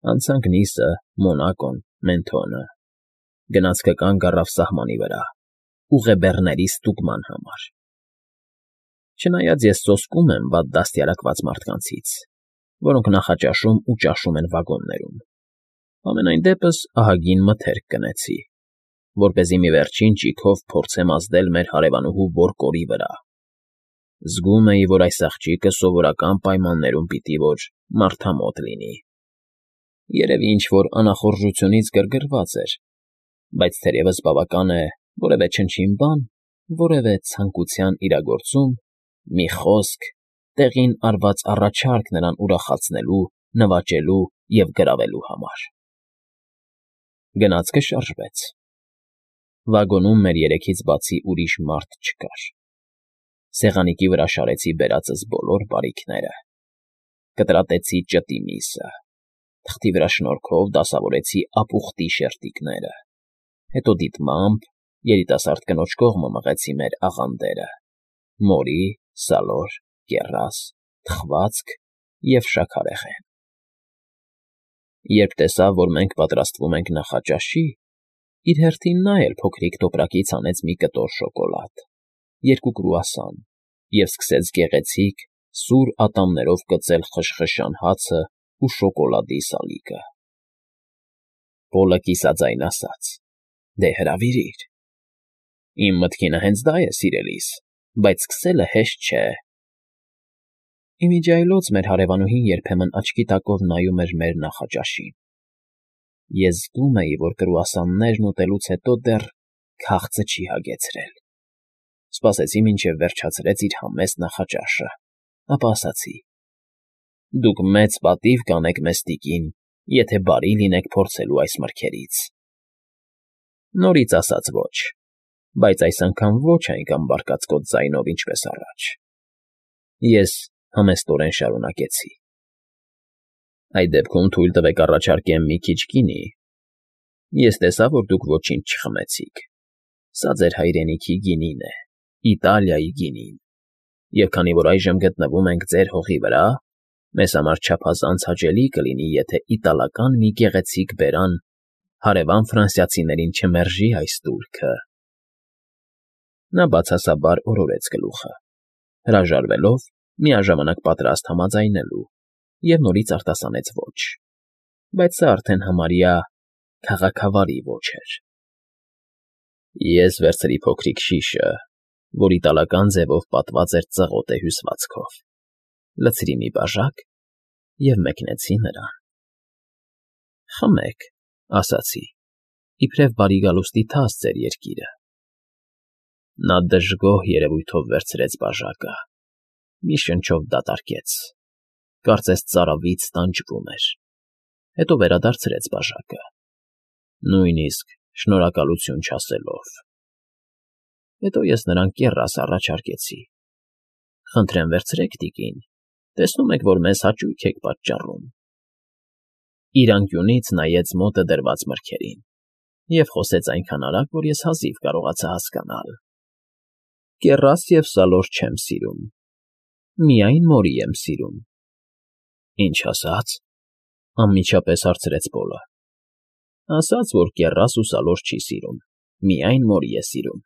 Անցանք Նիսը, Մոնակոն, Մենթոնը, գնացքը կանգ առավ սահմանի վրա, ուղեբեռների ստուգման համար։ Չնայած ես սոսկում եմ վատ դաստիարակված մարդկանցից, որոնք նախաճաշում ու ճաշում են վագոններում, համենայն դեպս ահագին մթերք կնեցի, որպեսզի մի վերջին ճիգով փորձեմ ազդել մեր հարևանուհու բորկորի վրա։ Զգում էի, որ այս աղջիկը սովորական պայմաններում պիտի որ մարդամոտ լինի։ Երևի ինչ-որ անախորժությունից գրգռված էր, բայց թերևս բավական է որևէ չնչին բան, որևէ ցանկության իրագործում, մի խոսք, տեղին արված առաջարկ նրան ուրախացնելու, նվաճելու և գրավելու համար։ Գնացքը շարժվեց։ Վագոնում մեր երեքից բացի ուրիշ մարդ չկար։ Սեղանիկի վրա շարեցի բերածս բոլոր բարիքները, կտրատեցի ճտի միսը, թղթի վրա շնորհքով դասավորեցի ապուխտի շերտիկները, հետո դիտմամբ երիտասարդ կնոջ կողմը մղեցի մեր աղանդերը՝ մորի, սալոր, կեռաս, թխվածք և շաքարեղեն։ Երբ տեսավ, որ մենք պատրաստվում ենք նախաճաշի, իր հերթին նա էլ փոքրիկ տոպրակից հանեց մի կտոր շոկոլադ, երկու կրուասան և սկսեց գեղեցիկ, սուր ատամներով կծել խշխշան հացն ու շոկոլադի սալիկը։ Պոլը կիսաձայն ասաց. «Դե հրավիրիր»։ Իմ մտքինը հենց դա է, սիրելիս, բայց սկսելը հեշտ չէ։ Իմիջիայլոց մեր հարևանուհին երբեմն աչքի տակով նայում էր մեր նախաճաշին։ Ես զգում էի, որ կրուասաններն ուտելուց հետո դեռ քաղցը չի հագեցրել։ Սպասեցի, մինչև վերջացրեց իր համեստ նախաճաշը, ապա ասացի. «Դուք մեծ պատիվ կանեք մեզ, տիկին, եթե բարի լինեք փորձելու այս մրգերից»։ Նորից ասաց ոչ, բայց այս անգամ ոչ այնքան բարկացկոտ ձայնով, ինչպես առաջ։ Ես համեստորեն շարունակեցի. «Այդ դեպքում թույլ տվեք առաջարկեմ մի քիչ գինի։ Ես տեսա, որ դուք ոչինչ չխմեցիք։ Սա ձեր հայրենիքի գինին է, Իտալիայի գինին, և քանի որ այժմ գտնվում ենք ձեր հողի վրա, մեզ համար չափազանց հաճելի կլինի, եթե իտալական մի գեղեցիկ բերան հարևան ֆրանսիացիներին չմերժի այս տուրքը»։ Նա բացասաբար օրորեց գլուխը, հրաժարվելով միաժամանակ պատրաստ համաձայնելու, և նորից արտասանեց ոչ, բայց սա արդեն համարյա քաղաքավարի ոչ էր։ Ես վերցրի փոքրիկ շիշը, որ իտալական ձևով պատված էր ծղոտե հյուսվածքով, լցրի մի բաժակ և մեկնեցի նրան։ «Խմեք», ասացի, իբրև բարի գալուստի թաս ձեր երկիրը։ Նա դժգոհ երևույթով վերցրեց բաժակը, մի շնչով դատարկեց, կարծես ծարավից տանջվում էր, հետո վերադարձրեց բաժակը, նույնիսկ շնորհակալություն չասելով։ Հետո ես նրան կեռաս առաջարկեցի. «Խնդրեմ վերցրեք, տիկին, տեսնում եք, որ մեզ հաճույք եք պատճառում»։ Իր անկյունից նայեց մոտը դրված մրգերին և խոսեց այնքան արագ, որ ես հազիվ կարողացա հասկանալ. «Կեռաս և սալոր չեմ սիրում, միայն մորի եմ սիրում»։ «Ինչ ասաց»։ Անմիջապես հարցրեց Պոլը։ «Ասաց, որ կեռաս ու սալոր չի սիրում, միայն մորի է սիրում»։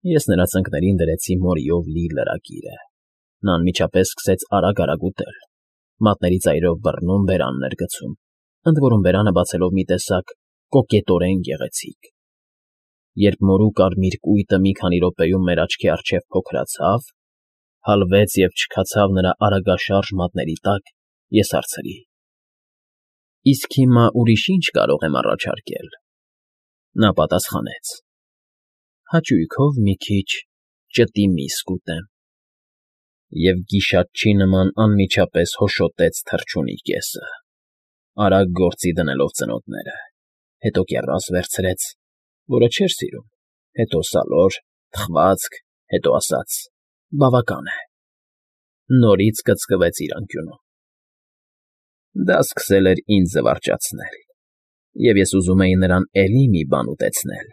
Ես նրա ծնկներին դրեցի մորիով լի լրագիրը։ Նա անմիջապես սկսեց արագ ուտել, մատների ծայրով բռնում, բերաններ գցում, ընդ որում բերանը բացելով մի տեսակ կոկետորեն գեղեցիկ։ Երբ մորու կարմիր կույտը մի քանի րոպեում մեր աչքի առջև փոքրացավ, հալվեց և չքացավ նրա արագաշարժ մատների տակ, ես հարցրի. «Իսկ հիմա ուրիշ ինչ կարող եմ առաջարկել»։ Նա պատասխանեց. «Հաճույքով մի քիչ ճտի միս կուտեմ» և գիշատչի նման անմիջապես հոշոտեց թռչունի կեսը, արագ գործի դնելով ծնոտները, հետո կեռաս վերցրեց, որը չէր սիրում, հետո սալոր, թխվածք, հետո ասաց. «Բավական է»։ Նորից կծկվեց իր անկյունում։ Դա սկսել էր ինձ զվարճացնել, և ես ուզում էի նրան էլի մի բան ուտեցնել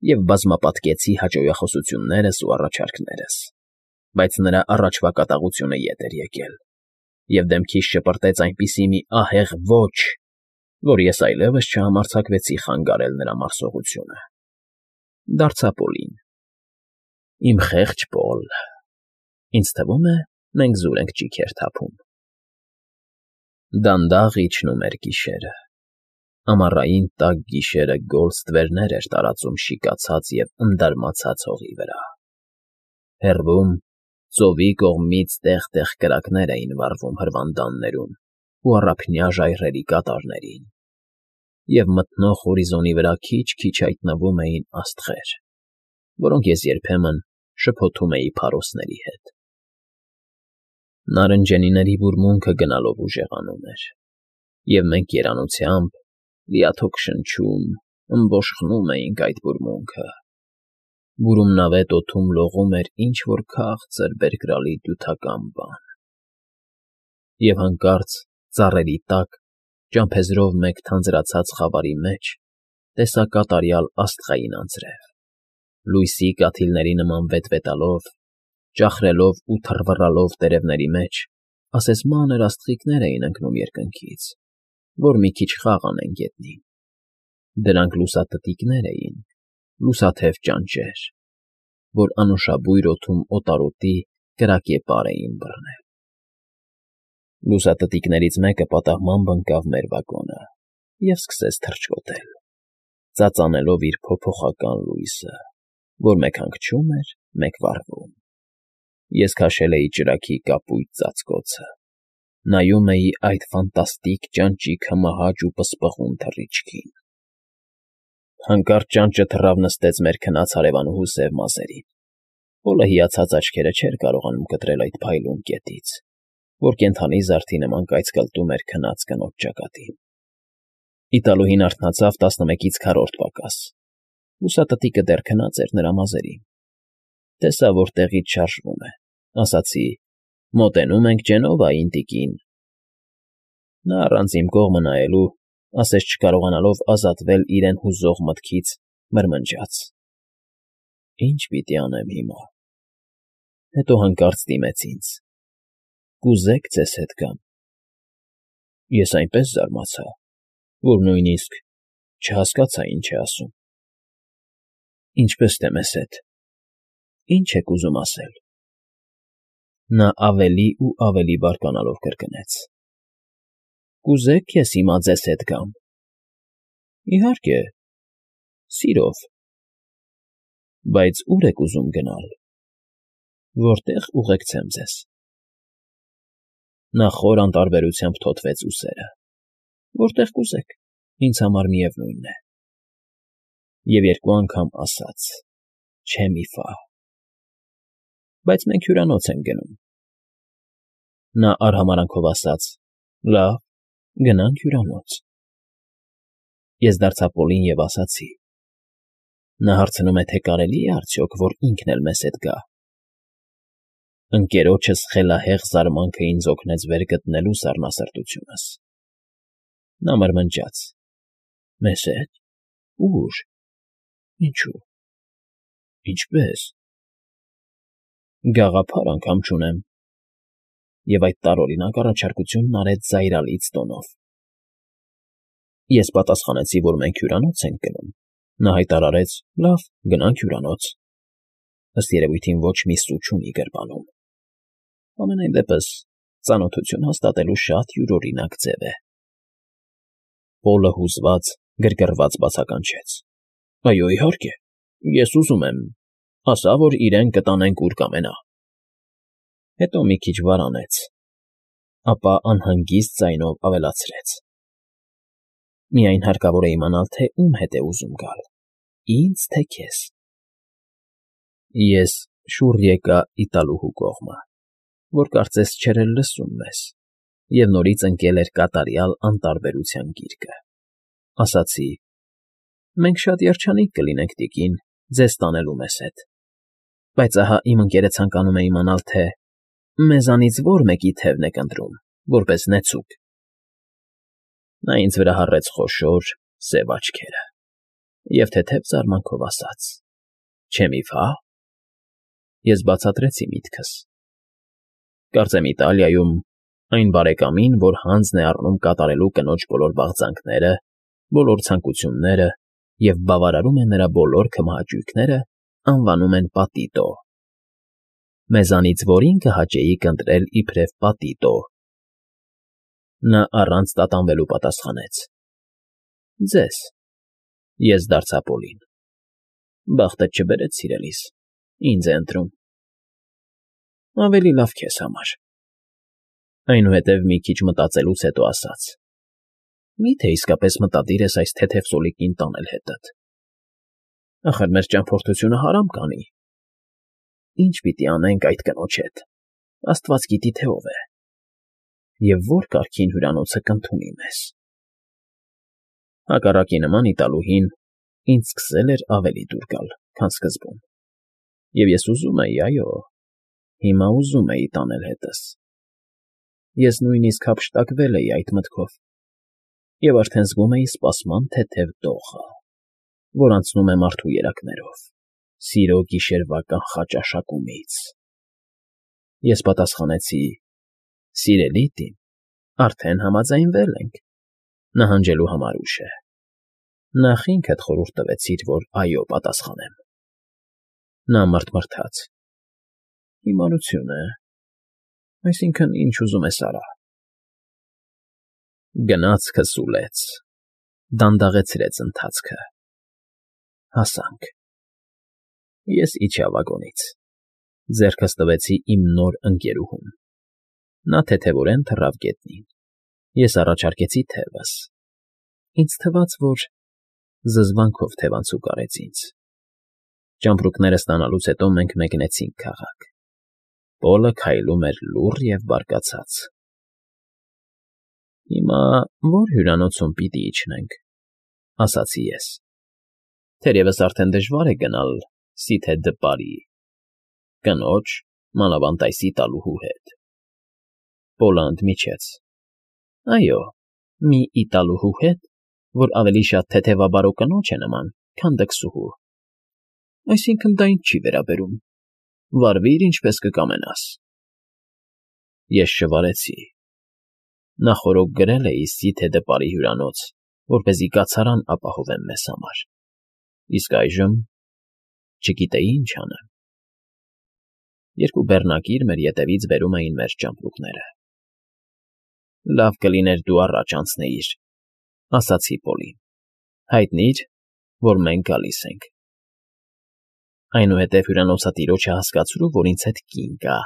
և բազմապատկեցի հաճոյախոսություններս ու առաջարկներս, բայց նրա առաջվա կատաղությունը ետ էր եկել։ և դեմքիս շպրտեց այնպիսի մի ահեղ ոչ, որ ես այլևս չհամարձակվեցի խանգարել նրա մարսողությունը։ Դարձա Պոլին. Իմ խեղճ Պոլ, ինձ թվում է, մենք զուր ենք ճիգեր թափում։ Դանդաղ իջնում էր գիշերը։ Ամառային տաք գիշերը գոլ ստվերներ էր տարածում շիկացած և ընդարմացած հողի վրա։ Հեռվում, ծովի կողմից տեղ֊տեղ կրակներ էին վառվում հրվանդաններում ու առափնյա ժայռերի կատարներին, և մթնող հորիզոնի վրա քիչ֊քիչ հայտնվում էին աստղեր, որոնք ես երբեմն շփոթում էի փարոսների հետ։ Նարնջենիների բուրմունքը գնալով ուժեղանում էր, և մենք երանությամբ, լիաթոք շնչում, ըմբոշխնում էինք այդ բուրմունքը։ Բուրումնավետ օդում լողում էր ինչ֊որ քաղցր բերկրալի դյութական բան։ Եվ հանկարծ ծառերի տակ, ճամփեզրով մեկ թանձրացած խավարի մեջ, տեսա կատարյալ աստղային անձրև, լույսի կաթիլների նման վետվետալով, ճախրելով ու թռվռալով տերևների մեջ, ասես մանր աստղիկներ էին ընկնում երկնքից, որ մի քիչ խաղ անեն գետնին։ Դրանք լուսատտիկներ էին, լուսաթև ճանճեր, որ անուշաբույր օդում օտարոտի կրակեպար էին բռնել։ Լուսատտիկներից մեկը պատահմամբ ընկավ մեր վագոնը և սկսեց թռչկոտել, ծածանելով իր փոփոխական լույսը, որ մեկ հանգչում էր, մեկ վառվում։ Ես քաշել էի ճրագի կապույտ ծածկոցը, նայում էի այդ ֆանտաստիկ ճանճի քմահաճ ու պսպղուն թռիչքին։ Հանկարծ ճանճը թռավ նստեց մեր քնած հարևանուհու սև մազերին։ Պոլը հիացած աչքերը չէր կարողանում կտրել այդ փայլուն կետից, որ կենդանի զարդի նման կայծկլտում էր քնած կնոջ ճակատին։ Իտալուհին արթնացավ 11-ից քառորդ պակաս։ Լուսատտիկը դեռ քնած էր նրա մազերին։ Տեսա, որ տեղից շարժվում է, ասացի. «Մոտենում ենք Ջենովային, տիկին»։ Նա առանց իմ կողմը նայելու, ասես չկարողանալով ազատվել իրեն հուզող մտքից, մրմնջաց. «Ի՞նչ պիտի անեմ հիմա»։ Հետո հանկարծ դիմեց ինձ. «Կուզե՞ք ձեզ հետ գամ»։ Ես այնպես զարմացա, որ նույնիսկ չհասկացա ինչ է ասում։ «Ինչպես թե մեզ հետ, ի՞նչ եք ուզում ասել»։ Նա ավելի ու ավելի բարկանալով կրկնեց. «Կուզե՞ք ես հիմա ձեզ հետ գամ»։ Իհարկե, սիրով։ Բայց ո՞ւր եք ուզում գնալ, որտե՞ղ ուղեկցեմ ձեզ։ Նա խոր անտարբերությամբ թոթվեց ուսերը։ Որտեղ կուզեք, ինձ համար միևնույն է։ Եվ երկու անգամ ասաց. «Չէ մի ֆա»։ Բայց մենք հյուրանոց ենք գնում։ Նա արհամարհանքով ասաց. «Լավ, գնանք հյուրանոց»։ Ես դարձա Պոլին և ասացի. «Նա հարցնում է, թե կարելի է արդյոք, որ ինքն էլ մեզ հետ գա»։ Ընկերոջս խելահեղ զարմանքը ինձ օգնեց վեր գտնելու սառնասրտությունս։ Նա մրմնջաց. «Մեզ հետ։ Ո՞ւր։ Ինչո՞ւ։ Ինչպե՞ս»։ Գաղափար անգամ չունեմ։ Եվ այդ տարօրինակ առաջարկությունն արեց զայրալից տոնով։ Ես պատասխանեցի, որ մենք հյուրանոց ենք գնում։ Նա հայտարարեց. «Լավ, գնանք հյուրանոց»։ Ըստ երևույթին ոչ մի սու չունի գրպանում։ Համենայն դեպս ծանոթություն հաստատելու շատ յուրօրինակ ձև է։ Պոլը հուզված, գրգռված բացականչեց. «Այո, իհարկե, ես ուզում եմ, ասա, որ իրեն կտանենք ուր կամենա»։ Հետո մի քիչ վարանեց, ապա անհանգիստ ձայնով ավելացրեց. «Միայն հարկավոր է իմանալ, թե ում հետ է ուզում գալ, ինձ, թե քեզ»։ Ես շուռ եկա Իտալուհու կողմը, որ կարծես չէր էլ լսում մեզ, և նորից ընկել էր կատարյալ անտարբերության գիրկը։ Ասացի. «Մենք շատ երջանիկ կլինենք, տիկին, ձեզ տանելու մեզ հետ, բայց ահա իմ ընկերը ցանկանում է իմանալ, թե մեզանից ո՞ր մեկի թևն եք ընտրում, որպես նեցուկ»։ Նա ինձ վրա հառեց խոշոր, սև աչքերը և թեթև զարմանքով ասաց. «Չէ մի ֆա»։ Ես բացատրեցի միտքս. «Կարծեմ Իտալիայում Այն բարեկամին, որ հանձն է առնում կատարելու կնոջ բոլոր բաղձանքները, բոլոր ցանկությունները և բավարարում է նրա բոլոր քմահաճույքները, անվանում են պատիտո։ Մեզանից որին կհաճեիք ընտրել իբրև պատիտո։ Նա առանց տատանվելու պատասխանեց. Ձեզ։ Ես դարձա Պոլին. Բախտդ չբերեց, սիրելիս, ինձ է ընտրում։ Ավելի լավ քեզ համար։ Այնուհետև մի քիչ մտածելուց հետո ասաց. Մի՞թե իսկապես մտադիր ես այս թեթև սոլիկին տանել հետդ։ Ախր մեր ճամփորդությունը հարամ կանի։ Ինչ պիտի անենք այդ կնոջ հետ, Աստված գիտի, թե ով է, և որ կարգին հյուրանոցը կընդունի մեզ։ Հակառակի նման Իտալուհին ինձ սկսել էր ավելի դուր գալ, քան սկզբում, և ես ուզում էի, այո, հիմա ուզում էի տանել հետս։ Ես նույնիսկ հափշտակվել էի այդ մտքով և արդեն զգում էի սպասման թեթև դողը, որ անցնում է մարդու երակներով, սիրո գիշերվա կանխաճաշակումից։ Ես պատասխանեցի. Սիրելի Տիմ, արդեն համաձայնվել ենք, նահանջելու համար ուշ է։ Նախ ինքդ խորհուրդ տվեցիր, որ այո պատասխանեմ։ Նա մռթմռթաց. Հիմարություն է, այսինքն՝ ինչ ուզում ես արա։ Գնացքը սուլեց, դանդաղեցրեց ընթացքը։ Հասանք։ Ես իջա վագոնից, ձեռքս տվեցի իմ նոր ընկերուհուն։ Նա թեթևորեն թռավ գետնին։ Ես առաջարկեցի թևս։ Ինձ թվաց, որ զզվանքով թևանցուկ արեց ինձ։ Ճամպրուկները ստանալուց հետո մենք մեկնեցինք քաղաք։ Պոլը քայլում էր լուռ և բարկացած։ Հիմա ո՞ր հյուրանոցում պիտի իջնենք, ասացի ես։ Թերևս արդեն դժվար է գնալ Սիթե դը Պարի, կնոջ, մանավանդ այս իտալուհու հետ։ Պոլը ընդմիջեց. Այո, մի իտալուհու հետ, որ ավելի շատ թեթևաբարո կնոջ է նման, քան դքսուհու։ Այսինքն՝ դա ինձ չի վերաբերում։ Վարվիր, ինչպես կկամենաս։ Ես շվարեցի։ Նախօրոք գրել էի Սիթե դը Պարի հյուրանոց, որպեսզի կացարան ապահովեմ մեզ համար, իսկ այժմ չգիտեի ինչ անեմ։ Երկու բեռնակիր մեր ետևից բերում էին մեր ճամպրուկները։ Լավ կլիներ դու առաջ անցնեիր, ասացի Պոլին, հայտնիր, որ մենք գալիս ենք։ Այնուհետև հյուրանոցատիրոջը հասկացրու, որ ինձ հետ կին կա,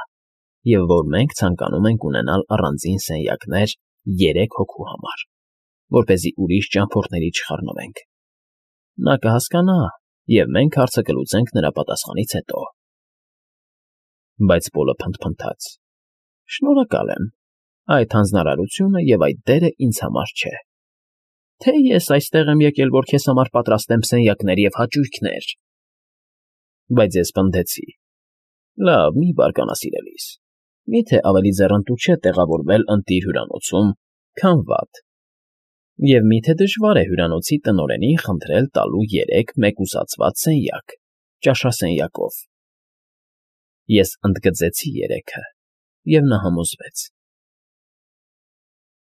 և որ մենք ցանկանում ենք ունենալ առանձին սենյակներ 3 հոգու համար, որպեսզի ուրիշ ճամփորդների չխառնվենք։ Նա կհասկանա, և մենք հարցը կլուծենք նրա պատասխանից հետո։ Բայց Պոլը փնթփնթաց. Շնորհակալ եմ, այդ հանձնարարությունը և այդ դերը ինձ համար չէ։ Թե ես այստեղ եմ եկել, որ քեզ համար պատրաստեմ սենյակներ և հաճույքներ։ Բայց ես պնդեցի. Լավ, մի բարկանա, սիրելիս, միթե ավելի ձեռնտու չէ տեղավորվել ընտիր հյուրանոցում, քան վատ, և միթե դժվար է հյուրանոցի տնօրենին խնդրել տալու 3 մեկուսացված սենյակ, ճաշասենյակով։ Ես ընդգծեցի 3-ը, և նա համոզվեց։